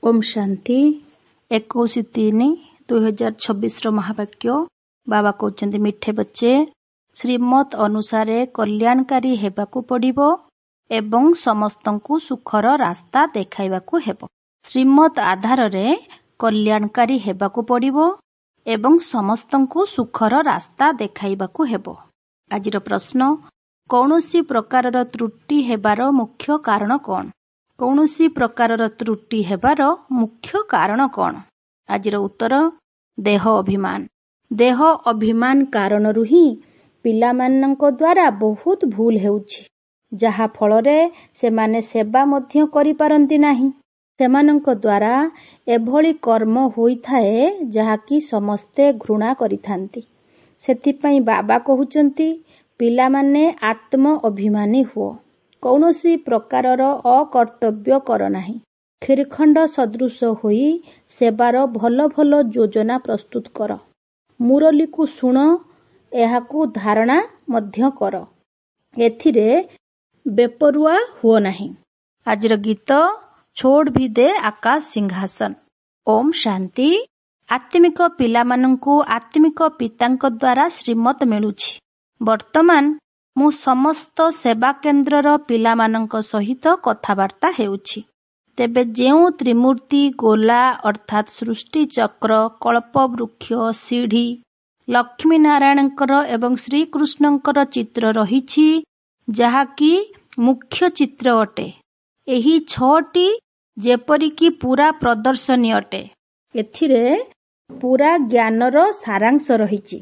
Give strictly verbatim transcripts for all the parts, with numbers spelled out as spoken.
ଓମ୍ ଶାନ୍ତି। ଏକୋଇଶ ତିନି ଦୁଇ ହଜାର ଛବିଶର ମହାବାକ୍ୟ। ବାବା କହୁଛନ୍ତି, ମିଠେ ବଚ୍ଚେ, ଶ୍ରୀମତ ଅନୁସାରେ କଲ୍ୟାଣକାରୀ ହେବାକୁ ପଡ଼ିବ ଏବଂ ସମସ୍ତଙ୍କୁ ସୁଖର ରାସ୍ତା ଦେଖାଇବାକୁ ହେବ। ଶ୍ରୀମତ ଆଧାରରେ କଲ୍ୟାଣକାରୀ ହେବାକୁ ପଡ଼ିବ ଏବଂ ସମସ୍ତଙ୍କୁ ସୁଖର ରାସ୍ତା ଦେଖାଇବାକୁ ହେବ। ଆଜିର ପ୍ରଶ୍ନ, କୌଣସି ପ୍ରକାରର ତ୍ରୁଟି ହେବାର ମୁଖ୍ୟ କାରଣ କ'ଣ? କୌଣସି ପ୍ରକାରର ତ୍ରୁଟି ହେବାର ମୁଖ୍ୟ କାରଣ କ'ଣ? ଆଜିର ଉତ୍ତର, ଦେହ ଅଭିମାନ। ଦେହ ଅଭିମାନ କାରଣରୁ ହିଁ ପିଲାମାନଙ୍କ ଦ୍ୱାରା ବହୁତ ଭୁଲ ହେଉଛି, ଯାହା ଫଳରେ ସେମାନେ ସେବା ମଧ୍ୟ କରିପାରନ୍ତି ନାହିଁ। ସେମାନଙ୍କ ଦ୍ୱାରା ଏଭଳି କର୍ମ ହୋଇଥାଏ ଯାହାକି ସମସ୍ତେ ଘୃଣା କରିଥାନ୍ତି। ସେଥିପାଇଁ ବାବା କହୁଛନ୍ତି, ପିଲାମାନେ ଆତ୍ମ ଅଭିମାନୀ ହୁଅ, କୌଣସି ପ୍ରକାରର ଅକର୍ତ୍ତବ୍ୟ କର ନାହିଁ। କ୍ଷୀରଖଣ୍ଡ ସଦୃଶ ହୋଇ ସେବାର ଭଲ ଭଲ ଯୋଜନା ପ୍ରସ୍ତୁତ କର। ମୁରଲୀକୁ ଶୁଣ, ଏହାକୁ ଧାରଣା ମଧ୍ୟ କର, ଏଥିରେ ବେପରୁଆ ହୁଅ ନାହିଁ। ଆଜିର ଗୀତ, ଛୋଡ଼ ଭି ଦେ ଆକାଶ ସିଂହାସନ। ଓମ୍ ଶାନ୍ତି। ଆତ୍ମିକ ପିଲାମାନଙ୍କୁ ଆତ୍ମିକ ପିତାଙ୍କ ଦ୍ୱାରା ଶ୍ରୀମତ ମିଳୁଛି। ବର୍ତ୍ତମାନ ମୁଁ ସମସ୍ତ ସେବା କେନ୍ଦ୍ରର ପିଲାମାନଙ୍କ ସହିତ କଥାବାର୍ତ୍ତା ହେଉଛି। ତେବେ ଯେଉଁ ତ୍ରିମୂର୍ତ୍ତି ଗୋଲା ଅର୍ଥାତ୍ ସୃଷ୍ଟି ଚକ୍ର, କଳ୍ପବୃକ୍ଷ, ସିଢ଼ି, ଲକ୍ଷ୍ମୀ ନାରାୟଣଙ୍କର ଏବଂ ଶ୍ରୀକୃଷ୍ଣଙ୍କର ଚିତ୍ର ରହିଛି, ଯାହାକି ମୁଖ୍ୟ ଚିତ୍ର ଅଟେ, ଏହି ଛଅଟି ଯେପରିକି ପୁରା ପ୍ରଦର୍ଶନୀ ଅଟେ। ଏଥିରେ ପୁରା ଜ୍ଞାନର ସାରାଂଶ ରହିଛି।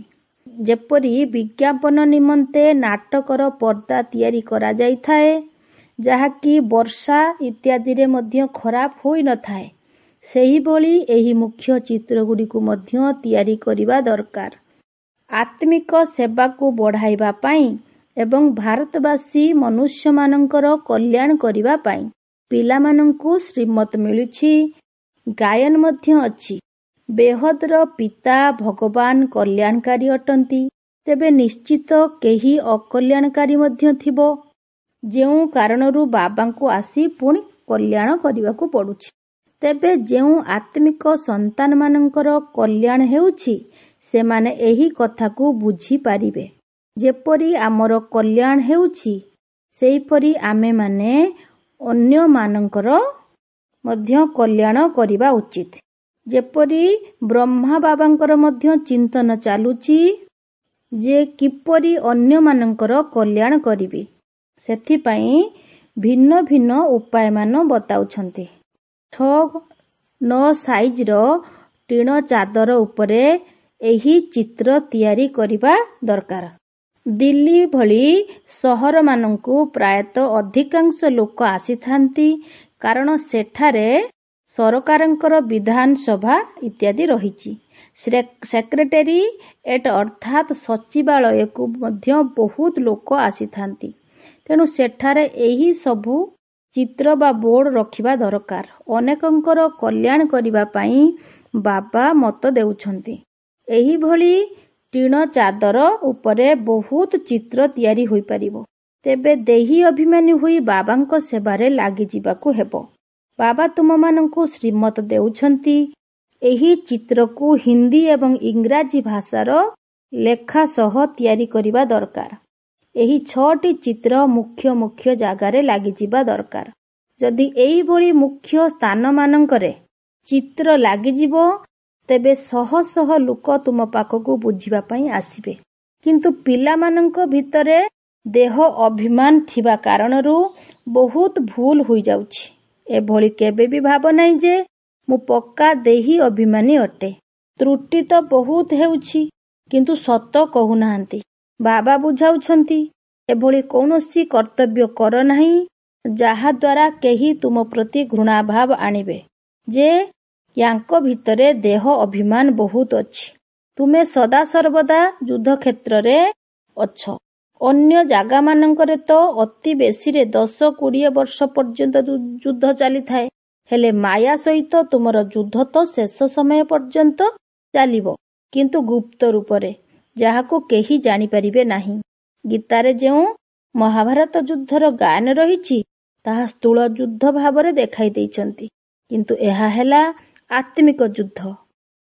ଯେପରି ବିଜ୍ଞାପନ ନିମନ୍ତେ ନାଟକର ପର୍ଦ୍ଦା ତିଆରି କରାଯାଇଥାଏ, ଯାହାକି ବର୍ଷା ଇତ୍ୟାଦିରେ ମଧ୍ୟ ଖରାପ ହୋଇନଥାଏ, ସେହିଭଳି ଏହି ମୁଖ୍ୟ ଚିତ୍ରଗୁଡ଼ିକୁ ମଧ୍ୟ ତିଆରି କରିବା ଦରକାର। ଆତ୍ମିକ ସେବାକୁ ବଢ଼ାଇବା ପାଇଁ ଏବଂ ଭାରତବାସୀ ମନୁଷ୍ୟମାନଙ୍କର କଲ୍ୟାଣ କରିବା ପାଇଁ ପିଲାମାନଙ୍କୁ ଶ୍ରୀମତ ମିଳୁଛି, ଗାୟନ ମଧ୍ୟ ଅଛି। ବେହଦର ପିତା ଭଗବାନ କଲ୍ୟାଣକାରୀ ଅଟନ୍ତି, ତେବେ ନିଶ୍ଚିତ କେହି ଅକଲ୍ୟାଣକାରୀ ମଧ୍ୟ ଥିବ, ଯେଉଁ କାରଣରୁ ବାବାଙ୍କୁ ଆସି ପୁଣି କଲ୍ୟାଣ କରିବାକୁ ପଡୁଛି। ତେବେ ଯେଉଁ ଆତ୍ମିକ ସନ୍ତାନମାନଙ୍କର କଲ୍ୟାଣ ହେଉଛି, ସେମାନେ ଏହି କଥାକୁ ବୁଝିପାରିବେ। ଯେପରି ଆମର କଲ୍ୟାଣ ହେଉଛି, ସେହିପରି ଆମେମାନେ ଅନ୍ୟମାନଙ୍କର ମଧ୍ୟ କଲ୍ୟାଣ କରିବା ଉଚିତ। ଯେପରି ବ୍ରହ୍ମା ବାବାଙ୍କର ମଧ୍ୟ ଚିନ୍ତନ ଚାଲୁଛି ଯେ କିପରି ଅନ୍ୟମାନଙ୍କର କଲ୍ୟାଣ କରିବି, ସେଥିପାଇଁ ଭିନ୍ନ ଭିନ୍ନ ଉପାୟମାନ ବତାଉଛନ୍ତି। ଛଅ ନଅ ସାଇଜର ଟିଣ ଚାଦର ଉପରେ ଏହି ଚିତ୍ର ତିଆରି କରିବା ଦରକାର। ଦିଲ୍ଲୀ ଭଳି ସହରମାନଙ୍କୁ ପ୍ରାୟତଃ ଅଧିକାଂଶ ଲୋକ ଆସିଥାନ୍ତି, କାରଣ ସେଠାରେ ସରକାରଙ୍କର ବିଧାନସଭା ଇତ୍ୟାଦି ରହିଛି। ସେକ୍ରେଟେରିଏଟ ଅର୍ଥାତ୍ ସଚିବାଳୟକୁ ମଧ୍ୟ ବହୁତ ଲୋକ ଆସିଥାନ୍ତି। ତେଣୁ ସେଠାରେ ଏହି ସବୁ ଚିତ୍ର ବା ବୋର୍ଡ ରଖିବା ଦରକାର। ଅନେକଙ୍କର କଲ୍ୟାଣ କରିବା ପାଇଁ ବାବା ମତ ଦେଉଛନ୍ତି। ଏହିଭଳି ଟିଣ ଚାଦର ଉପରେ ବହୁତ ଚିତ୍ର ତିଆରି ହୋଇପାରିବ। ତେବେ ଦେହୀ ଅଭିମାନୀ ହୋଇ ବାବାଙ୍କ ସେବାରେ ଲାଗିଯିବାକୁ ହେବ। ବାବା ତୁମମାନଙ୍କୁ ଶ୍ରୀମତ ଦେଉଛନ୍ତି। ଏହି ଚିତ୍ରକୁ ହିନ୍ଦୀ ଏବଂ ଇଂରାଜୀ ଭାଷାର ଲେଖା ସହ ତିଆରି କରିବା ଦରକାର। ଏହି ଛଅଟି ଚିତ୍ର ମୁଖ୍ୟ ମୁଖ୍ୟ ଜାଗାରେ ଲାଗିଯିବା ଦରକାର। ଯଦି ଏହିଭଳି ମୁଖ୍ୟ ସ୍ଥାନମାନଙ୍କରେ ଚିତ୍ର ଲାଗିଯିବ, ତେବେ ଶହ ଶହ ଲୋକ ତୁମ ପାଖକୁ ବୁଝିବା ପାଇଁ ଆସିବେ। କିନ୍ତୁ ପିଲାମାନଙ୍କ ଭିତରେ ଦେହ ଅଭିମାନ ଥିବା କାରଣରୁ ବହୁତ ଭୁଲ ହୋଇଯାଉଛି। ଏଭଳି କେବେ ବି ଭାବ ନାହିଁ ଯେ ମୁଁ ପକ୍କା ଦେହୀ ଅଭିମାନୀ ଅଟେ। ତ୍ରୁଟି ତ ବହୁତ ହେଉଛି, କିନ୍ତୁ ସତ କହୁନାହାନ୍ତି। ବାବା ବୁଝାଉଛନ୍ତି, ଏଭଳି କୌଣସି କର୍ତ୍ତବ୍ୟ କର ନାହିଁ ଯାହାଦ୍ୱାରା କେହି ତୁମ ପ୍ରତି ଘୃଣାଭାବ ଆଣିବେ ଯେ ୟାଙ୍କ ଭିତରେ ଦେହ ଅଭିମାନ ବହୁତ ଅଛି। ତୁମେ ସଦାସର୍ବଦା ଯୁଦ୍ଧକ୍ଷେତ୍ରରେ ଅଛ। ଅନ୍ୟ ଜାଗାମାନଙ୍କରେ ତ ଅତି ବେଶୀରେ ଦଶ କୋଡ଼ିଏ ବର୍ଷ ପର୍ଯ୍ୟନ୍ତ ଯୁଦ୍ଧ ଚାଲିଥାଏ, ହେଲେ ମାୟା ସହିତ ତୁମର ଯୁଦ୍ଧ ତ ଶେଷ ସମୟ ପର୍ଯ୍ୟନ୍ତ ଚାଲିବ, କିନ୍ତୁ ଗୁପ୍ତ ରୂପରେ, ଯାହାକୁ କେହି ଜାଣିପାରିବେ ନାହିଁ। ଗୀତାରେ ଯେଉଁ ମହାଭାରତ ଯୁଦ୍ଧର ଗାୟନ ରହିଛି, ତାହା ସ୍ଥୂଳ ଯୁଦ୍ଧ ଭାବରେ ଦେଖାଇ ଦେଇଛନ୍ତି। କିନ୍ତୁ ଏହା ହେଲା ଆତ୍ମିକ ଯୁଦ୍ଧ।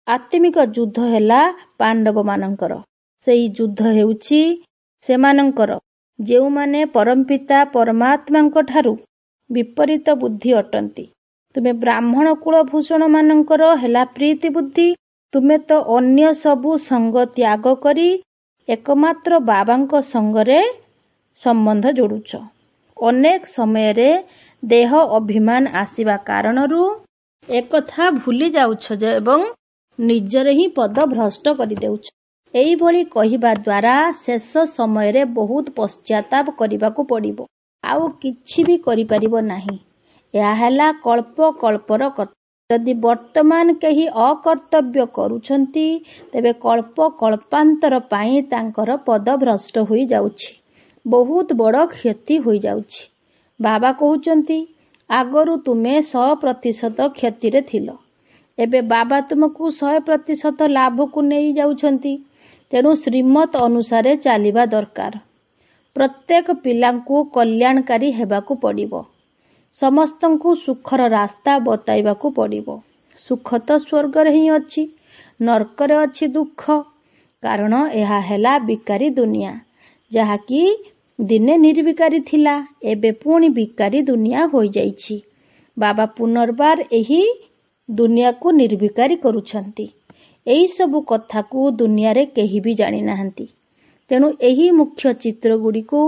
ଆତ୍ମିକ ଯୁଦ୍ଧ ହେଲା ପାଣ୍ଡବମାନଙ୍କର। ସେହି ଯୁଦ୍ଧ ହେଉଛି ସେମାନଙ୍କର ଯେଉଁମାନେ ପରମପିତା ପରମାତ୍ମାଙ୍କଠାରୁ ବିପରୀତ ବୁଦ୍ଧି ଅଟନ୍ତି। ତୁମେ ବ୍ରାହ୍ମଣ କୁଳଭୂଷଣମାନଙ୍କର ହେଲା ପ୍ରୀତି ବୁଦ୍ଧି। ତୁମେ ତ ଅନ୍ୟ ସବୁ ସଙ୍ଗ ତ୍ୟାଗ କରି ଏକମାତ୍ର ବାବାଙ୍କ ସଙ୍ଗରେ ସମ୍ବନ୍ଧ ଯୋଡୁଛ। ଅନେକ ସମୟରେ ଦେହ ଅଭିମାନ ଆସିବା କାରଣରୁ ଏକଥା ଭୁଲି ଯାଉଛ ଏବଂ ନିଜର ହିଁ ପଦ ଭ୍ରଷ୍ଟ କରିଦେଉଛ। ଏହିଭଳି କହିବା ଦ୍ୱାରା ଶେଷ ସମୟରେ ବହୁତ ପଶ୍ଚାତାପ କରିବାକୁ ପଡ଼ିବ, ଆଉ କିଛି ବି କରିପାରିବ ନାହିଁ। ଏହା ହେଲା କଳ୍ପ କଳ୍ପର କଥା। ଯଦି ବର୍ତ୍ତମାନ କେହି ଅକର୍ତ୍ତବ୍ୟ କରୁଛନ୍ତି, ତେବେ କଳ୍ପ କଳ୍ପାନ୍ତର ପାଇଁ ତାଙ୍କର ପଦ ଭ୍ରଷ୍ଟ ହୋଇଯାଉଛି, ବହୁତ ବଡ଼ କ୍ଷତି ହୋଇଯାଉଛି। ବାବା କହୁଛନ୍ତି, ଆଗରୁ ତୁମେ ଶହ ପ୍ରତିଶତ କ୍ଷତିରେ ଥିଲ, ଏବେ ବାବା ତୁମକୁ ଶହେ ପ୍ରତିଶତ ଲାଭକୁ ନେଇ ଯାଉଛନ୍ତି। ତେଣୁ ଶ୍ରୀମତ ଅନୁସାରେ ଚାଲିବା ଦରକାର। ପ୍ରତ୍ୟେକ ପିଲାଙ୍କୁ କଲ୍ୟାଣକାରୀ ହେବାକୁ ପଡ଼ିବ। ସମସ୍ତଙ୍କୁ ସୁଖର ରାସ୍ତା ବତାଇବାକୁ ପଡ଼ିବ। ସୁଖ ତ ସ୍ୱର୍ଗରେ ହିଁ ଅଛି, ନର୍କରେ ଅଛି ଦୁଃଖ। କାରଣ ଏହା ହେଲା ବିକାରୀ ଦୁନିଆ, ଯାହାକି ଦିନେ ନିର୍ବିକାରୀ ଥିଲା, ଏବେ ପୁଣି ବିକାରୀ ଦୁନିଆ ହୋଇଯାଇଛି। ବାବା ପୁନର୍ବାର ଏହି ଦୁନିଆକୁ ନିର୍ବିକାରୀ କରୁଛନ୍ତି। ଏହିସବୁ କଥାକୁ ଦୁନିଆରେ କେହି ବି ଜାଣିନାହାନ୍ତି। ତେଣୁ ଏହି ମୁଖ୍ୟ ଚିତ୍ରଗୁଡ଼ିକୁ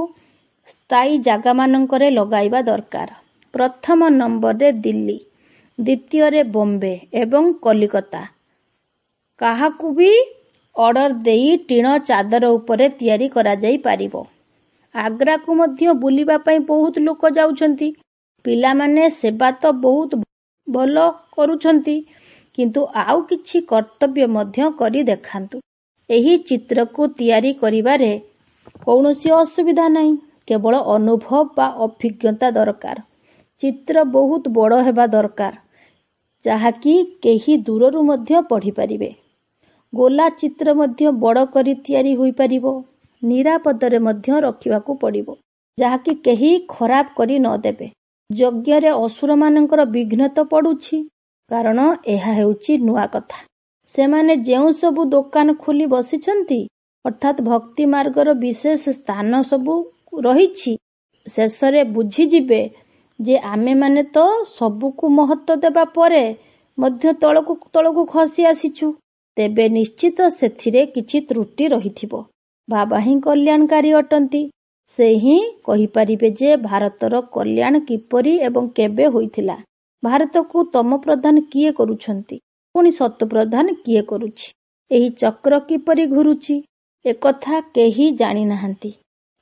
ସ୍ଥାୟୀ ଜାଗାମାନଙ୍କରେ ଲଗାଇବା ଦରକାର। ପ୍ରଥମ ନମ୍ବରରେ ଦିଲ୍ଲୀ, ଦ୍ୱିତୀୟରେ ବମ୍ବେ ଏବଂ କଲିକତା। କାହାକୁ ବି ଅର୍ଡର ଦେଇ ଟିଣ ଚାଦର ଉପରେ ତିଆରି କରାଯାଇପାରିବ। ଆଗ୍ରାକୁ ମଧ୍ୟ ବୁଲିବା ପାଇଁ ବହୁତ ଲୋକ ଯାଉଛନ୍ତି। ପିଲାମାନେ ସେବା ତ ବହୁତ ଭଲ କରୁଛନ୍ତି, କିନ୍ତୁ ଆଉ କିଛି କର୍ତ୍ତବ୍ୟ ମଧ୍ୟ କରି ଦେଖାନ୍ତୁ। ଏହି ଚିତ୍ରକୁ ତିଆରି କରିବାରେ କୌଣସି ଅସୁବିଧା ନାହିଁ, କେବଳ ଅନୁଭବ ବା ଅଭିଜ୍ଞତା ଦରକାର। ଚିତ୍ର ବହୁତ ବଡ଼ ହେବା ଦରକାର, ଯାହାକି କେହି ଦୂରରୁ ମଧ୍ୟ ପଢ଼ିପାରିବେ। ଗୋଲା ଚିତ୍ର ମଧ୍ୟ ବଡ଼ କରି ତିଆରି ହୋଇପାରିବ। ନିରାପଦରେ ମଧ୍ୟ ରଖିବାକୁ ପଡ଼ିବ, ଯାହାକି କେହି ଖରାପ କରି ନ ଦେବେ। ଯଜ୍ଞରେ ଅସୁରମାନଙ୍କର ବିଘ୍ନ ତ ପଡ଼ୁଛି, କାରଣ ଏହା ହେଉଛି ନୂଆ କଥା। ସେମାନେ ଯେଉଁ ସବୁ ଦୋକାନ ଖୋଲି ବସିଛନ୍ତି, ଅର୍ଥାତ୍ ଭକ୍ତି ମାର୍ଗର ବିଶେଷ ସ୍ଥାନ ସବୁ ରହିଛି, ଶେଷରେ ବୁଝିଯିବେ ଯେ ଆମେମାନେ ତ ସବୁକୁ ମହତ୍ତ୍ୱ ଦେବା ପରେ ମଧ୍ୟ ତଳକୁ ତଳକୁ ଖସି ଆସିଛୁ। ତେବେ ନିଶ୍ଚିତ ସେଥିରେ କିଛି ତ୍ରୁଟି ରହିଥିବ। ବାବା ହିଁ କଲ୍ୟାଣକାରୀ ଅଟନ୍ତି। ସେ ହିଁ କହିପାରିବେ ଯେ ଭାରତର କଲ୍ୟାଣ କିପରି ଏବଂ କେବେ ହୋଇଥିଲା। ଭାରତକୁ ତମୋପ୍ରଧାନ କିଏ କରୁଛନ୍ତି, ପୁଣି ସତୋପ୍ରଧାନ କିଏ କରୁଛି, ଏହି ଚକ୍ର କିପରି ଘୁରୁଛି, ଏକଥା କେହି ଜାଣିନାହାନ୍ତି।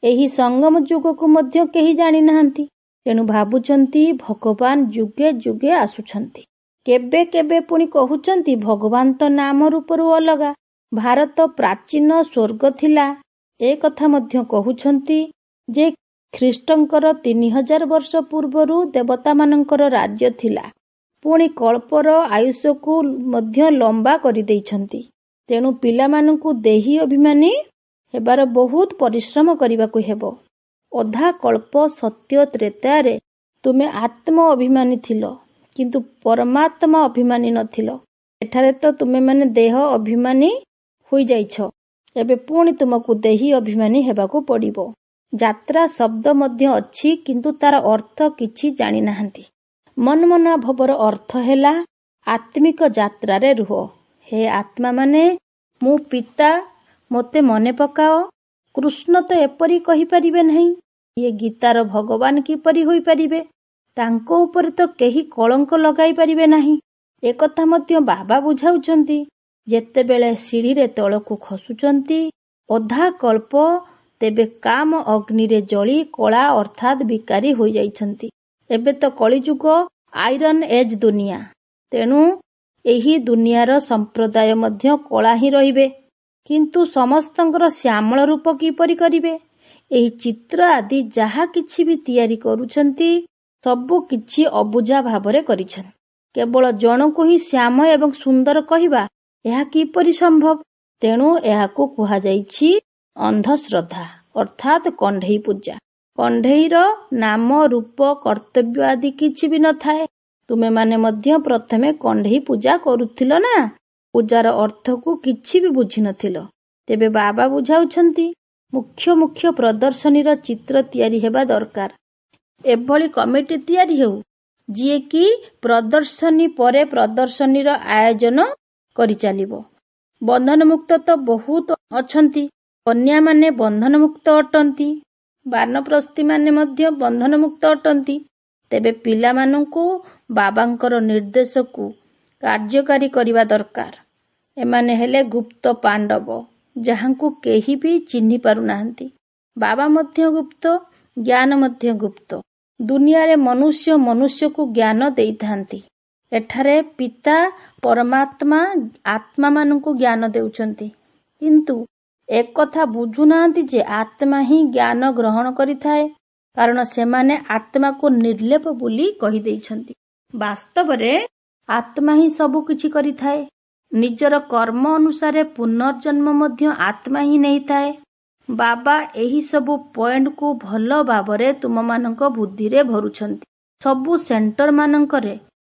ଏହି ସଙ୍ଗମ ଯୁଗକୁ ମଧ୍ୟ କେହି ଜାଣିନାହାନ୍ତି। ତେଣୁ ଭାବୁଛନ୍ତି ଭଗବାନ ଯୁଗେ ଯୁଗେ ଆସୁଛନ୍ତି। କେବେ କେବେ ପୁଣି କହୁଛନ୍ତି ଭଗବାନ ତ ନାମ ରୂପରୁ ଅଲଗା, ଭାରତ ପ୍ରାଚୀନ ସ୍ୱର୍ଗ ଥିଲା। ଏ କଥା ମଧ୍ୟ କହୁଛନ୍ତି ଯେ ଖ୍ରୀଷ୍ଟଙ୍କର ତିନି ହଜାର ବର୍ଷ ପୂର୍ବରୁ ଦେବତାମାନଙ୍କର ରାଜ୍ୟ ଥିଲା। ପୁଣି କଳ୍ପର ଆୟୁଷକୁ ମଧ୍ୟ ଲମ୍ବା କରିଦେଇଛନ୍ତି। ତେଣୁ ପିଲାମାନଙ୍କୁ ଦେହୀ ଅଭିମାନୀ ହେବାର ବହୁତ ପରିଶ୍ରମ କରିବାକୁ ହେବ। ଅଧା କଳ୍ପ ସତ୍ୟ ତ୍ରେତୟାରେ ତୁମେ ଆତ୍ମ ଅଭିମାନୀ ଥିଲ, କିନ୍ତୁ ପରମାତ୍ମା ଅଭିମାନୀ ନଥିଲ। ଏଠାରେ ତ ତୁମେମାନେ ଦେହ ଅଭିମାନୀ ହୋଇଯାଇଛ। ଏବେ ପୁଣି ତୁମକୁ ଦେହୀ ଅଭିମାନୀ ହେବାକୁ ପଡ଼ିବ। ଯାତ୍ରା ଶବ୍ଦ ମଧ୍ୟ ଅଛି, କିନ୍ତୁ ତାର ଅର୍ଥ କିଛି ଜାଣିନାହାନ୍ତି। ମନମନା ଭବର ଅର୍ଥ ହେଲା ଆତ୍ମିକ ଯାତ୍ରାରେ ରୁହ। ହେ ଆତ୍ମାମାନେ, ମୁଁ ପିତା, ମୋତେ ମନେ ପକାଅ। କୃଷ୍ଣ ତ ଏପରି କହିପାରିବେ ନାହିଁ। ଇଏ ଗୀତାର ଭଗବାନ କିପରି ହୋଇପାରିବେ? ତାଙ୍କ ଉପରେ ତ କେହି କଳଙ୍କ ଲଗାଇ ପାରିବେ ନାହିଁ। ଏକଥା ମଧ୍ୟ ବାବା ବୁଝାଉଛନ୍ତି। ଯେତେବେଳେ ସିଢ଼ିରେ ତଳକୁ ଖସୁଛନ୍ତି ଅଧା କଳ୍ପ, ତେବେ କାମ ଅଗ୍ନିରେ ଜଳି କଳା ଅର୍ଥାତ୍ ବିକାରୀ ହୋଇଯାଇଛନ୍ତି। ଏବେ ତ କଳିଯୁଗ, ଆଇରନ୍ ଏଜ୍ ଦୁନିଆ। ତେଣୁ ଏହି ଦୁନିଆର ସମ୍ପ୍ରଦାୟ ମଧ୍ୟ କଳା ହିଁ ରହିବେ। କିନ୍ତୁ ସମସ୍ତଙ୍କର ଶ୍ୟାମଳ ରୂପ କିପରି କରିବେ? ଏହି ଚିତ୍ର ଆଦି ଯାହା କିଛି ବି ତିଆରି କରୁଛନ୍ତି, ସବୁ କିଛି ଅବୁଝା ଭାବରେ କରିଛନ୍ତି। କେବଳ ଜଣକୁ ହିଁ ଶ୍ୟାମ ଏବଂ ସୁନ୍ଦର କହିବା, ଏହା କିପରି ସମ୍ଭବ? ତେଣୁ ଏହାକୁ କୁହାଯାଇଛି ଅନ୍ଧଶ୍ରଦ୍ଧା, ଅର୍ଥାତ୍ କଣ୍ଢେଇ ପୂଜା। କଣ୍ଢେଇର ନାମ, ରୂପ, କର୍ତ୍ତବ୍ୟ ଆଦି କିଛି ବି ନଥାଏ। ତୁମେମାନେ ମଧ୍ୟ ପ୍ରଥମେ କଣ୍ଢେଇ ପୂଜା କରୁଥିଲ ନା? ପୂଜାର ଅର୍ଥକୁ କିଛି ବି ବୁଝିନଥିଲ। ତେବେ ବାବା ବୁଝାଉଛନ୍ତି, ମୁଖ୍ୟ ମୁଖ୍ୟ ପ୍ରଦର୍ଶନୀର ଚିତ୍ର ତିଆରି ହେବା ଦରକାର। ଏଭଳି କମିଟି ତିଆରି ହେଉ ଯିଏକି ପ୍ରଦର୍ଶନୀ ପରେ ପ୍ରଦର୍ଶନୀର ଆୟୋଜନ କରିଚାଲିବ। ବନ୍ଧନମୁକ୍ତ ତ ବହୁତ ଅଛନ୍ତି। କନ୍ୟାମାନେ ବନ୍ଧନମୁକ୍ତ ଅଟନ୍ତି, ବାନପ୍ରସ୍ଥୀମାନେ ମଧ୍ୟ ବନ୍ଧନମୁକ୍ତ ଅଟନ୍ତି। ତେବେ ପିଲାମାନଙ୍କୁ ବାବାଙ୍କର ନିର୍ଦ୍ଦେଶକୁ କାର୍ଯ୍ୟକାରୀ କରିବା ଦରକାର। ଏମାନେ ହେଲେ ଗୁପ୍ତ ପାଣ୍ଡବ, ଯାହାଙ୍କୁ କେହି ବି ଚିହ୍ନି ପାରୁନାହାନ୍ତି। ବାବା ମଧ୍ୟ ଗୁପ୍ତ, ଜ୍ଞାନ ମଧ୍ୟ ଗୁପ୍ତ। ଦୁନିଆରେ ମନୁଷ୍ୟ ମନୁଷ୍ୟକୁ ଜ୍ଞାନ ଦେଇଥାନ୍ତି। ଏଠାରେ ପିତା ପରମାତ୍ମା ଆତ୍ମାମାନଙ୍କୁ ଜ୍ଞାନ ଦେଉଛନ୍ତି। କିନ୍ତୁ ଏକଥା ବୁଝୁନାହାନ୍ତି ଯେ ଆତ୍ମା ହିଁ ଜ୍ଞାନ ଗ୍ରହଣ କରିଥାଏ, କାରଣ ସେମାନେ ଆତ୍ମାକୁ ନିର୍ଲେପ ବୋଲି କହିଦେଇଛନ୍ତି। ବାସ୍ତବରେ ଆତ୍ମା ହିଁ ସବୁ କିଛି କରିଥାଏ। ନିଜର କର୍ମ ଅନୁସାରେ ପୁନର୍ଜନ୍ମ ମଧ୍ୟ ଆତ୍ମା ହିଁ ନେଇଥାଏ। ବାବା ଏହି ସବୁ ପଏଣ୍ଟକୁ ଭଲ ଭାବରେ ତୁମମାନଙ୍କ ବୁଦ୍ଧିରେ ଭରୁଛନ୍ତି। ସବୁ ସେଣ୍ଟରମାନଙ୍କରେ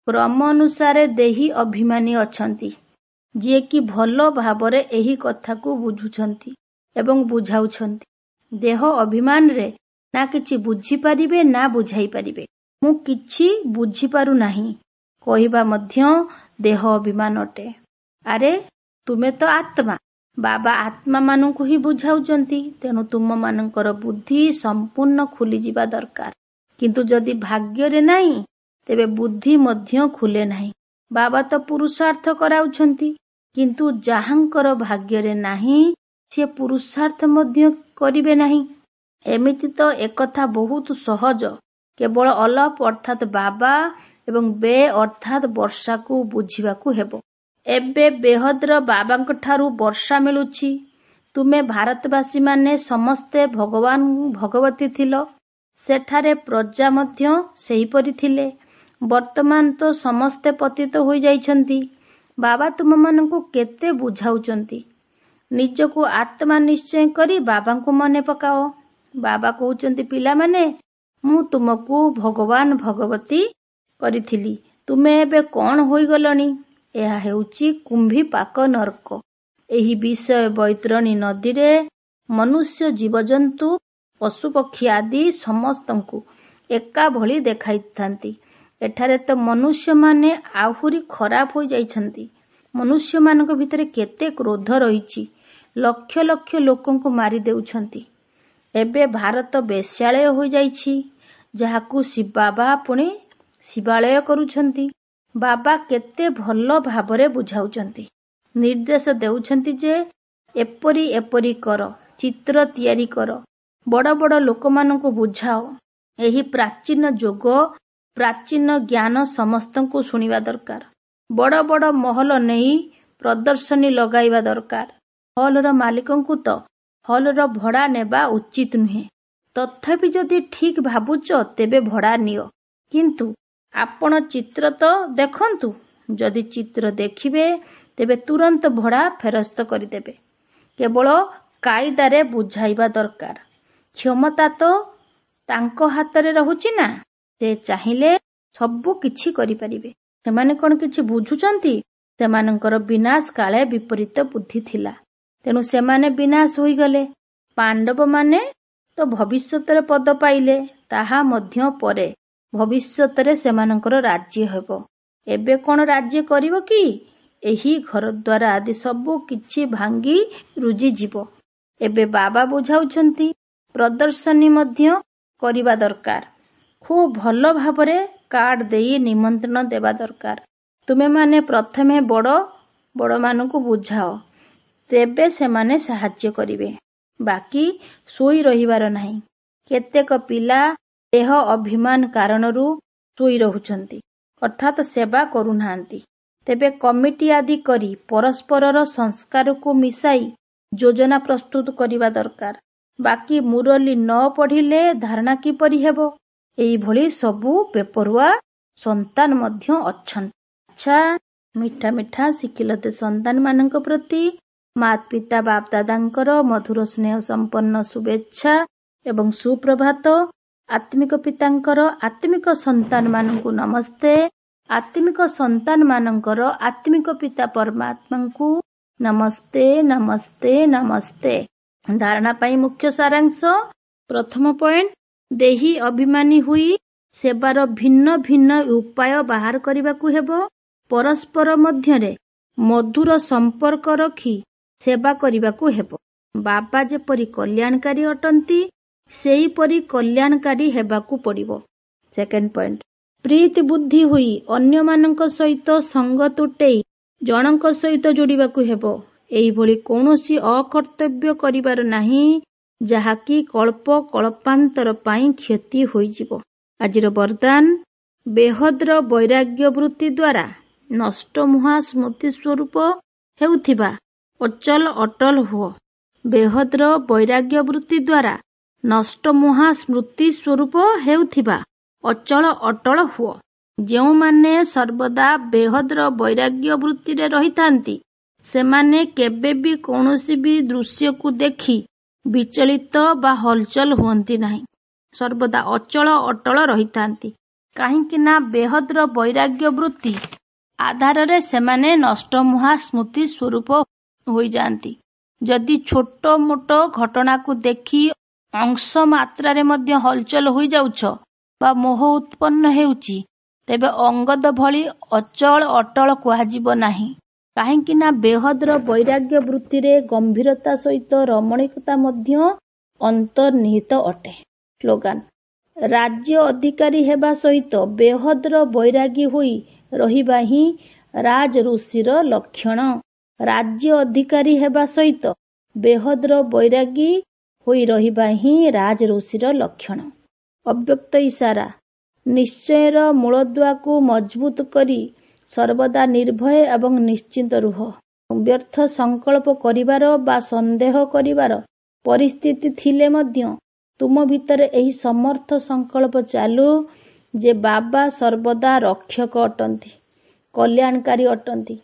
କ୍ରମ ଅନୁସାରେ ଦେହୀ ଅଭିମାନୀ ଅଛନ୍ତି, ଯିଏକି ଭଲ ଭାବରେ ଏହି କଥାକୁ ବୁଝୁଛନ୍ତି ଏବଂ ବୁଝାଉଛନ୍ତି। ଦେହ ଅଭିମାନରେ ନା କିଛି ବୁଝିପାରିବେ ନା ବୁଝାଇ ପାରିବେ। ମୁଁ କିଛି ବୁଝିପାରୁନାହିଁ କହିବା ମଧ୍ୟ ଦେହ ଅଭିମାନ ଅଟେ। ଆରେ ତୁମେ ତ ଆତ୍ମା, ବାବା ଆତ୍ମାମାନଙ୍କୁ ହିଁ ବୁଝାଉଛନ୍ତି। ତେଣୁ ତୁମମାନଙ୍କର ବୁଦ୍ଧି ସମ୍ପୂର୍ଣ୍ଣ ଖୋଲିଯିବା ଦରକାର। କିନ୍ତୁ ଯଦି ଭାଗ୍ୟରେ ନାହିଁ, ତେବେ ବୁଦ୍ଧି ମଧ୍ୟ ଖୋଲେ ନାହିଁ। ବାବା ତ ପୁରୁଷାର୍ଥ କରାଉଛନ୍ତି, କିନ୍ତୁ ଯାହାଙ୍କର ଭାଗ୍ୟରେ ନାହିଁ ସିଏ ପୁରୁଷାର୍ଥ ମଧ୍ୟ କରିବେ ନାହିଁ। ଏମିତି ତ ଏକଥା ବହୁତ ସହଜ। କେବଳ ଅଲଫ ଅର୍ଥାତ୍ ବାବା ଏବଂ ବେ ଅର୍ଥାତ୍ ବର୍ଷାକୁ ବୁଝିବାକୁ ହେବ। ଏବେ ବେହଦର ବାବାଙ୍କ ଠାରୁ ବର୍ଷା ମିଳୁଛି। ତୁମେ ଭାରତବାସୀମାନେ ସମସ୍ତେ ଭଗବାନ ଭଗବତୀ ଥିଲ। ସେଠାରେ ପ୍ରଜା ମଧ୍ୟ ସେହିପରି ଥିଲେ। ବର୍ତ୍ତମାନ ତ ସମସ୍ତେ ପତିତ ହୋଇଯାଇଛନ୍ତି। ବାବା ତୁମମାନଙ୍କୁ କେତେ ବୁଝାଉଛନ୍ତି। ନିଜକୁ ଆତ୍ମା ନିଶ୍ଚୟ କରି ବାବାଙ୍କୁ ମନେ ପକାଅ। ବାବା କହୁଛନ୍ତି, ପିଲାମାନେ, ମୁଁ ତୁମକୁ ଭଗବାନ ଭଗବତୀ କରିଥିଲି, ତୁମେ ଏବେ କଣ ହୋଇଗଲଣି? ଏହା ହେଉଛି କୁମ୍ଭୀପାକ ନର୍କ। ଏହି ବିଷୟ ବୈତରଣୀ ନଦୀରେ ମନୁଷ୍ୟ, ଜୀବଜନ୍ତୁ, ପଶୁପକ୍ଷୀ ଆଦି ସମସ୍ତଙ୍କୁ ଏକା ଭଳି ଦେଖାଇଥାନ୍ତି। ଏଠାରେ ତ ମନୁଷ୍ୟମାନେ ଆହୁରି ଖରାପ ହୋଇଯାଇଛନ୍ତି। ମନୁଷ୍ୟମାନଙ୍କ ଭିତରେ କେତେ କ୍ରୋଧ ରହିଛି, ଲକ୍ଷ ଲକ୍ଷ ଲୋକଙ୍କୁ ମାରି ଦେଉଛନ୍ତି। ଏବେ ଭାରତ ବେଶ୍ୟାଳୟ ହୋଇଯାଇଛି, ଯାହାକୁ ଶିବବାବା ପୁଣି ଶିବାଳୟ କରୁଛନ୍ତି। ବାବା କେତେ ଭଲ ଭାବରେ ବୁଝାଉଛନ୍ତି, ନିର୍ଦ୍ଦେଶ ଦେଉଛନ୍ତି ଯେ ଏପରି ଏପରି କର, ଚିତ୍ର ତିଆରି କର, ବଡ଼ ବଡ଼ ଲୋକମାନଙ୍କୁ ବୁଝାଅ। ଏହି ପ୍ରାଚୀନ ଯୋଗ, ପ୍ରାଚୀନ ଜ୍ଞାନ ସମସ୍ତଙ୍କୁ ଶୁଣିବା ଦରକାର। ବଡ଼ ବଡ଼ ମହଲ ନେଇ ପ୍ରଦର୍ଶନୀ ଲଗାଇବା ଦରକାର। ହଲର ମାଲିକଙ୍କୁ ତ ହଲର ଭଡ଼ା ନେବା ଉଚିତ ନୁହେଁ। ତଥାପି ଯଦି ଠିକ୍ ଭାବୁଛ ତେବେ ଭଡ଼ା ନିଅ, କିନ୍ତୁ ଆପଣ ଚିତ୍ର ତ ଦେଖନ୍ତୁ। ଯଦି ଚିତ୍ର ଦେଖିବେ ତେବେ ତୁରନ୍ତ ଭଡ଼ା ଫେରସ୍ତ କରିଦେବେ। କେବଳ କାଇଦାରେ ବୁଝାଇବା ଦରକାର। କ୍ଷମତା ତ ତାଙ୍କ ହାତରେ ରହୁଛି ନା, ସେ ଚାହିଁଲେ ସବୁ କିଛି କରିପାରିବେ। ସେମାନେ କଣ କିଛି ବୁଝୁଛନ୍ତି? ସେମାନଙ୍କର ବିନାଶ କାଳେ ବିପରୀତ ବୁଦ୍ଧି ଥିଲା, ତେଣୁ ସେମାନେ ବିନାଶ ହୋଇଗଲେ। ପାଣ୍ଡବମାନେ ତ ଭବିଷ୍ୟତରେ ପଦ ପାଇଲେ, ତାହା ମଧ୍ୟ ପରେ ଭବିଷ୍ୟତରେ ସେମାନଙ୍କର ରାଜ୍ୟ ହେବ। ଏବେ କଣ ରାଜ୍ୟ କରିବ କି? ଏହି ଘରଦ୍ୱାର ଆଦି ସବୁ କିଛି ଭାଙ୍ଗି ରୁଜିଯିବ। ଏବେ ବାବା ବୁଝାଉଛନ୍ତି, ପ୍ରଦର୍ଶନୀ ମଧ୍ୟ କରିବା ଦରକାର। ଖୁବ୍ ଭଲ ଭାବରେ କାର୍ଡ ଦେଇ ନିମନ୍ତ୍ରଣ ଦେବା ଦରକାର। ତୁମେମାନେ ପ୍ରଥମେ ବଡ଼ ବଡ଼ମାନଙ୍କୁ ବୁଝାଅ, ତେବେ ସେମାନେ ସାହାଯ୍ୟ କରିବେ। ବାକି ଶୋଇ ରହିବାର ନାହିଁ। କେତେକ ପିଲା ଦେହ ଅଭିମାନ କାରଣରୁ ଶୋଇ ରହୁଛନ୍ତି, ଅର୍ଥାତ୍ ସେବା କରୁନାହାନ୍ତି। ତେବେ କମିଟି ଆଦି କରି ପରସ୍ପରର ସଂସ୍କାରକୁ ମିଶାଇ ଯୋଜନା ପ୍ରସ୍ତୁତ କରିବା ଦରକାର। ବାକି ମୁରଲୀ ନ ପଢ଼ିଲେ ଧାରଣା କିପରି ହେବ? ଏଇଭଳି ସବୁ ବେପରୁଆ ସନ୍ତାନ ମଧ୍ୟ ଅଛନ୍ତି। ଆଚ୍ଛା, ମିଠା ମିଠା ଶିଖିଲତେ ସନ୍ତାନମାନଙ୍କ ପ୍ରତି ମାତ ପିତା ବାପ ଦାଦାଙ୍କର ମଧୁର ସ୍ନେହ ସମ୍ପନ୍ନ ଶୁଭେଚ୍ଛା ଏବଂ ସୁପ୍ରଭାତ। ଆତ୍ମିକ ପିତାଙ୍କର ଆତ୍ମିକ ସନ୍ତାନମାନଙ୍କୁ ନମସ୍ତେ। ଆତ୍ମିକ ସନ୍ତାନମାନଙ୍କର ଆତ୍ମିକ ପିତା ପରମାତ୍ମାଙ୍କୁ ନମସ୍ତେ, ନମସ୍ତେ, ନମସ୍ତେ। ଧାରଣା ପାଇଁ ମୁଖ୍ୟ ସାରାଂଶ। ପ୍ରଥମ ପଏଣ୍ଟ, ଦେହି ଅଭିମାନୀ ହୋଇ ସେବାର ଭିନ୍ନ ଭିନ୍ନ ଉପାୟ ବାହାର କରିବାକୁ ହେବ। ପରସ୍ପର ମଧ୍ୟରେ ମଧୁର ସମ୍ପର୍କ ରଖି ସେବା କରିବାକୁ ହେବ। ବାବା ଯେପରି କଲ୍ୟାଣକାରୀ ଅଟନ୍ତି, ସେହିପରି କଲ୍ୟାଣକାରୀ ହେବାକୁ ପଡ଼ିବ। ସେକେଣ୍ଡ ପଏଣ୍ଟ, ପ୍ରୀତି ବୁଦ୍ଧି ହୋଇ ଅନ୍ୟମାନଙ୍କ ସହିତ ସଙ୍ଗ ତୁଟେଇ ଜଣଙ୍କ ସହିତ ଯୋଡ଼ିବାକୁ ହେବ। ଏହିଭଳି କୌଣସି ଅକର୍ତ୍ତବ୍ୟ କରିବାର ନାହିଁ, ଯାହାକି କଳ୍ପ କଳ୍ପାନ୍ତର ପାଇଁ କ୍ଷତି ହୋଇଯିବ। ଆଜିର ବରଦାନ, ବେହଦର ବୈରାଗ୍ୟ ବୃତ୍ତି ଦ୍ୱାରା ନଷ୍ଟମୁହା ସ୍ମୃତି ସ୍ୱରୂପ ହେଉଥିବା ଅଚଲ ଅଟଲ ହୁଅ। ବେହଦର ବୈରାଗ୍ୟ ବୃତ୍ତି ଦ୍ୱାରା ନଷ୍ଟମୁହା ସ୍ମୃତି ସ୍ୱରୂପ ହେଉଥିବା ଅଚଳ ଅଟଳ ହୁଅ। ଯେଉଁମାନେ ସର୍ବଦା ବେହଦର ବୈରାଗ୍ୟ ବୃତ୍ତିରେ ରହିଥାନ୍ତି, ସେମାନେ କେବେ ବି କୌଣସି ବି ଦୃଶ୍ୟକୁ ଦେଖି ବିଚଳିତ ବା ହଲଚଲ ହୁଅନ୍ତି ନାହିଁ, ସର୍ବଦା ଅଚଳ ଅଟଳ ରହିଥାନ୍ତି। କାହିଁକି ନା ବେହଦର ବୈରାଗ୍ୟ ବୃତ୍ତି ଆଧାରରେ ସେମାନେ ନଷ୍ଟମୁହା ସ୍ମୃତି ସ୍ୱରୂପ ହୋଇଯାଆନ୍ତି। ଯଦି ଛୋଟ ମୋଟ ଘଟଣାକୁ ଦେଖି ଅଂଶ ମାତ୍ରାରେ ମଧ୍ୟ ହଲଚଲ ହୋଇଯାଉଛ ବା ମୋହ ଉତ୍ପନ୍ନ ହେଉଛି, ତେବେ ଅଙ୍ଗଦ ଭଳି ଅଚଳ ଅଟଳ କୁହାଯିବ ନାହିଁ। କାହିଁକି ନା ବେହଦର ବୈରାଗ୍ୟ ବୃତ୍ତିରେ ଗମ୍ଭୀରତା ସହିତ ରମଣୀକତା ମଧ୍ୟ ଅନ୍ତର୍ନିହିତ ଅଟେ। ସ୍ଲୋଗାନ, ରାଜ୍ୟ ଅଧିକାରୀ ହେବା ସହିତ ବେହଦର ବୈରାଗୀ ହୋଇ ରହିବା ହିଁ ରାଜ ଋଷିର ଲକ୍ଷଣ। ରାଜ୍ୟ ଅଧିକାରୀ ହେବା ସହିତ ବେହଦର ବୈରାଗୀ ହୋଇ ରହିବା ହିଁ ରାଜ ଋଷିର ଲକ୍ଷଣ। ଅବ୍ୟକ୍ତ ଇଶାରା, ନିଶ୍ଚୟର ମୂଳଦୁଆକୁ ମଜବୁତ କରି ସର୍ବଦା ନିର୍ଭୟ ଏବଂ ନିଶ୍ଚିନ୍ତ ରୁହ। ବ୍ୟର୍ଥ ସଂକଳ୍ପ କରିବାର ବା ସନ୍ଦେହ କରିବାର ପରିସ୍ଥିତି ଥିଲେ ମଧ୍ୟ ତୁମ ଭିତରେ ଏହି ସମର୍ଥ ସଂକଳ୍ପ ଚାଲୁ ଯେ ବାବା ସର୍ବଦା ରକ୍ଷକ ଅଟନ୍ତି, କଲ୍ୟାଣକାରୀ ଅଟନ୍ତି।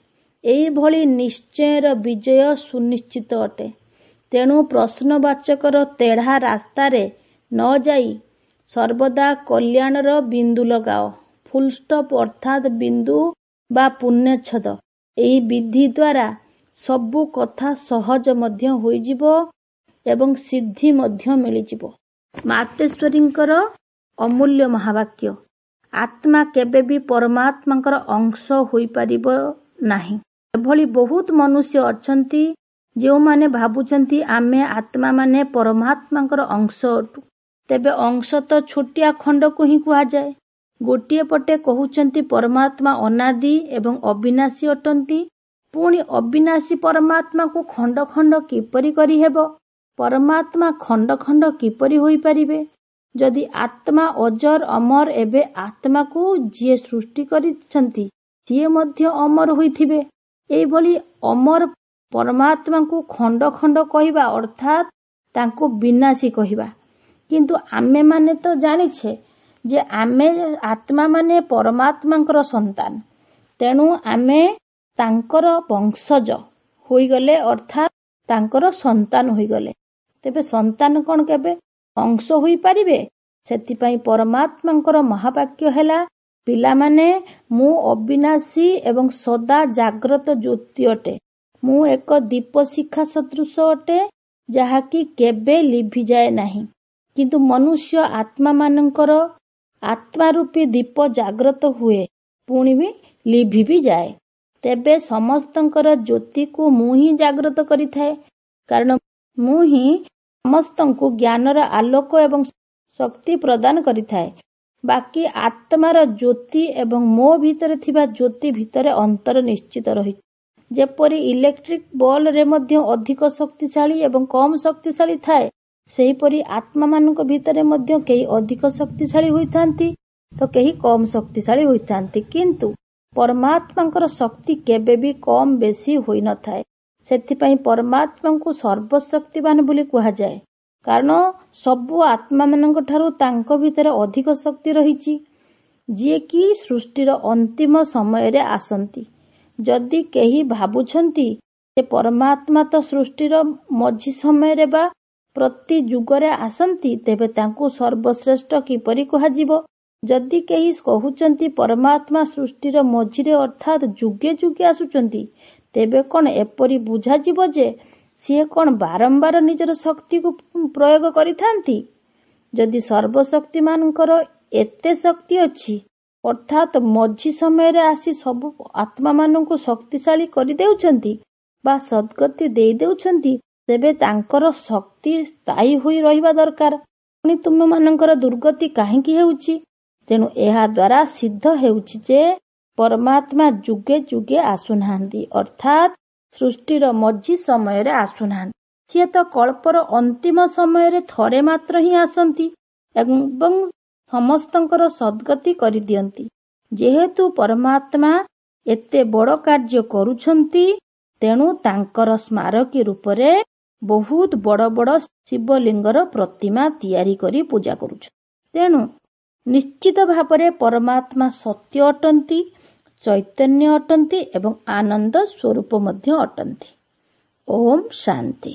ଏହିଭଳି ନିଶ୍ଚୟର ବିଜୟ ସୁନିଶ୍ଚିତ ଅଟେ। ତେଣୁ ପ୍ରଶ୍ନବାଚକର ତେଢ଼ା ରାସ୍ତାରେ ନ ଯାଇ ସର୍ବଦା କଲ୍ୟାଣର ବିନ୍ଦୁ ଲଗାଅ। ଫୁଲଷ୍ଟପ୍ ଅର୍ଥାତ୍ ବିନ୍ଦୁ ବା ପୂର୍ଣ୍ଣଚ୍ଛେଦ। ଏହି ବିଧି ଦ୍ୱାରା ସବୁ କଥା ସହଜ ମଧ୍ୟ ହୋଇଯିବ ଏବଂ ସିଦ୍ଧି ମଧ୍ୟ ମିଳିଯିବ। ମାତେଶ୍ୱରୀଙ୍କର ଅମୂଲ୍ୟ ମହାବାକ୍ୟ, ଆତ୍ମା କେବେ ବି ପରମାତ୍ମାଙ୍କର ଅଂଶ ହୋଇପାରିବ ନାହିଁ। ଏଭଳି ବହୁତ ମନୁଷ୍ୟ ଅଛନ୍ତି ଯେଉଁମାନେ ଭାବୁଛନ୍ତି ଆମେ ଆତ୍ମାମାନେ ପରମାତ୍ମାଙ୍କର ଅଂଶ ଅଟୁ। ତେବେ ଅଂଶ ତ ଛୋଟିଆ ଖଣ୍ଡକୁ ହିଁ କୁହାଯାଏ। ଗୋଟିଏ ପଟେ କହୁଛନ୍ତି ପରମାତ୍ମା ଅନାଦି ଏବଂ ଅବିନାଶୀ ଅଟନ୍ତି, ପୁଣି ଅବିନାଶୀ ପରମାତ୍ମାକୁ ଖଣ୍ଡ ଖଣ୍ଡ କିପରି କରିହେବ? ପରମାତ୍ମା ଖଣ୍ଡ ଖଣ୍ଡ କିପରି ହୋଇପାରିବେ? ଯଦି ଆତ୍ମା ଅଜର ଅମର, ଏବେ ଆତ୍ମାକୁ ଯିଏ ସୃଷ୍ଟି କରିଛନ୍ତି ସିଏ ମଧ୍ୟ ଅମର ହୋଇଥିବେ। ଏଇଭଳି ଅମର ପରମାତ୍ମାଙ୍କୁ ଖଣ୍ଡ ଖଣ୍ଡ କହିବା ଅର୍ଥାତ୍ ତାଙ୍କୁ ବିନାଶୀ କହିବା। କିନ୍ତୁ ଆମେମାନେ ତ ଜାଣିଛେ ଯେ ଆମେ ଆତ୍ମାମାନେ ପରମାତ୍ମାଙ୍କର ସନ୍ତାନ, ତେଣୁ ଆମେ ତାଙ୍କର ବଂଶଜ ହୋଇଗଲେ, ଅର୍ଥାତ୍ ତାଙ୍କର ସନ୍ତାନ ହୋଇଗଲେ। ତେବେ ସନ୍ତାନ କ'ଣ କେବେ ଅଂଶ ହୋଇପାରିବେ? ସେଥିପାଇଁ ପରମାତ୍ମାଙ୍କର ମହାବାକ୍ୟ ହେଲା, ପିଲାମାନେ, ମୁଁ ଅବିନାଶୀ ଏବଂ ସଦା ଜାଗ୍ରତ ଜ୍ୟୋତି ଅଟେ। ମୁଁ ଏକ ଦୀପଶିଖା ସଦୃଶ ଅଟେ, ଯାହାକି କେବେ ଲିଭିଯାଏ ନାହିଁ। କିନ୍ତୁ ମନୁଷ୍ୟ ଆତ୍ମାମାନଙ୍କର ଆତ୍ମାରୂପୀ ଦୀପ ଜାଗ୍ରତ ହୁଏ, ପୁଣି ବି ଲିଭି ବି ଯାଏ। ତେବେ ସମସ୍ତଙ୍କର ଜ୍ୟୋତିକୁ ମୁଁ ହିଁ ଜାଗ୍ରତ କରିଥାଏ, କାରଣ ମୁଁ ହିଁ ସମସ୍ତଙ୍କୁ ଜ୍ଞାନର ଆଲୋକ ଏବଂ ଶକ୍ତି ପ୍ରଦାନ କରିଥାଏ। ବାକି ଆତ୍ମାର ଜ୍ୟୋତି ଏବଂ ମୋ ଭିତରେ ଥିବା ଜ୍ୟୋତି ଭିତରେ ଅନ୍ତର ନିଶ୍ଚିତ ରହିଛି। ଯେପରି ଇଲେକ୍ଟ୍ରିକ ବଲ୍ରେ ମଧ୍ୟ ଅଧିକ ଶକ୍ତିଶାଳୀ ଏବଂ କମ୍ ଶକ୍ତିଶାଳୀ ଥାଏ, ସେହିପରି ଆତ୍ମାମାନଙ୍କ ଭିତରେ ମଧ୍ୟ କେହି ଅଧିକ ଶକ୍ତିଶାଳୀ ହୋଇଥାନ୍ତି ତ କେହି କମ୍ ଶକ୍ତିଶାଳୀ ହୋଇଥାନ୍ତି। କିନ୍ତୁ ପରମାତ୍ମାଙ୍କର ଶକ୍ତି କେବେ ବି କମ୍ ବେଶୀ ହୋଇନଥାଏ। ସେଥିପାଇଁ ପରମାତ୍ମାଙ୍କୁ ସର୍ବଶକ୍ତିବାନ ବୋଲି କୁହାଯାଏ, କାରଣ ସବୁ ଆତ୍ମାମାନଙ୍କ ଠାରୁ ତାଙ୍କ ଭିତରେ ଅଧିକ ଶକ୍ତି ରହିଛି, ଯିଏକି ସୃଷ୍ଟିର ଅନ୍ତିମ ସମୟରେ ଆସନ୍ତି। ଯଦି କେହି ଭାବୁଛନ୍ତି ଯେ ପରମାତ୍ମା ତ ସୃଷ୍ଟିର ମଝି ସମୟରେ ବା ପ୍ରତି ଯୁଗରେ ଆସନ୍ତି, ତେବେ ତାଙ୍କୁ ସର୍ବଶ୍ରେଷ୍ଠ କିପରି କୁହାଯିବ? ଯଦି କେହି କହୁଛନ୍ତି ପରମାତ୍ମା ସୃଷ୍ଟିର ମଝିରେ ଅର୍ଥାତ୍ ଯୁଗେ ଯୁଗେ ଆସୁଛନ୍ତି, ତେବେ କ'ଣ ଏପରି ବୁଝାଯିବ ଯେ ସିଏ କ'ଣ ବାରମ୍ବାର ନିଜର ଶକ୍ତିକୁ ପ୍ରୟୋଗ କରିଥାନ୍ତି? ଯଦି ସର୍ବଶକ୍ତିମାନଙ୍କର ଏତେ ଶକ୍ତି ଅଛି, ଅର୍ଥାତ୍ ମଝି ସମୟରେ ଆସି ସବୁ ଆତ୍ମାମାନଙ୍କୁ ଶକ୍ତିଶାଳୀ କରିଦେଉଛନ୍ତି ବା ସଦ୍ଗତି ଦେଇଦେଉଛନ୍ତି, ତେବେ ତାଙ୍କର ଶକ୍ତି ସ୍ଥାୟୀ ହୋଇ ରହିବା ଦରକାର। ପୁଣି ତୁମମାନଙ୍କର ଦୁର୍ଗତି କାହିଁକି ହେଉଛି? ତେଣୁ ଏହା ଦ୍ୱାରା ସିଦ୍ଧ ହେଉଛି ଯେ ପରମାତ୍ମା ଯୁଗେ ଯୁଗେ ଆସୁନାହାନ୍ତି, ଅର୍ଥାତ୍ ସୃଷ୍ଟିର ମଝି ସମୟରେ ଆସୁନାହାନ୍ତି। ସିଏ ତ କଳ୍ପର ଅନ୍ତିମ ସମୟରେ ଥରେ ମାତ୍ର ହିଁ ଆସନ୍ତି ଏବଂ ସମସ୍ତଙ୍କର ସଦ୍ଗତି କରିଦିଅନ୍ତି। ଯେହେତୁ ପରମାତ୍ମା ଏତେ ବଡ଼ କାର୍ଯ୍ୟ କରୁଛନ୍ତି, ତେଣୁ ତାଙ୍କର ସ୍ମାରକୀ ରୂପରେ ବହୁତ ବଡ଼ ବଡ଼ ଶିବଲିଙ୍ଗର ପ୍ରତିମା ତିଆରି କରି ପୂଜା କରୁଛନ୍ତି। ତେଣୁ ନିଶ୍ଚିତ ଭାବରେ ପରମାତ୍ମା ସତ୍ୟ ଅଟନ୍ତି, ଚୈତନ୍ୟ ଅଟନ୍ତି ଏବଂ ଆନନ୍ଦ ସ୍ୱରୂପ ମଧ୍ୟ ଅଟନ୍ତି। ଓମ୍ ଶାନ୍ତି।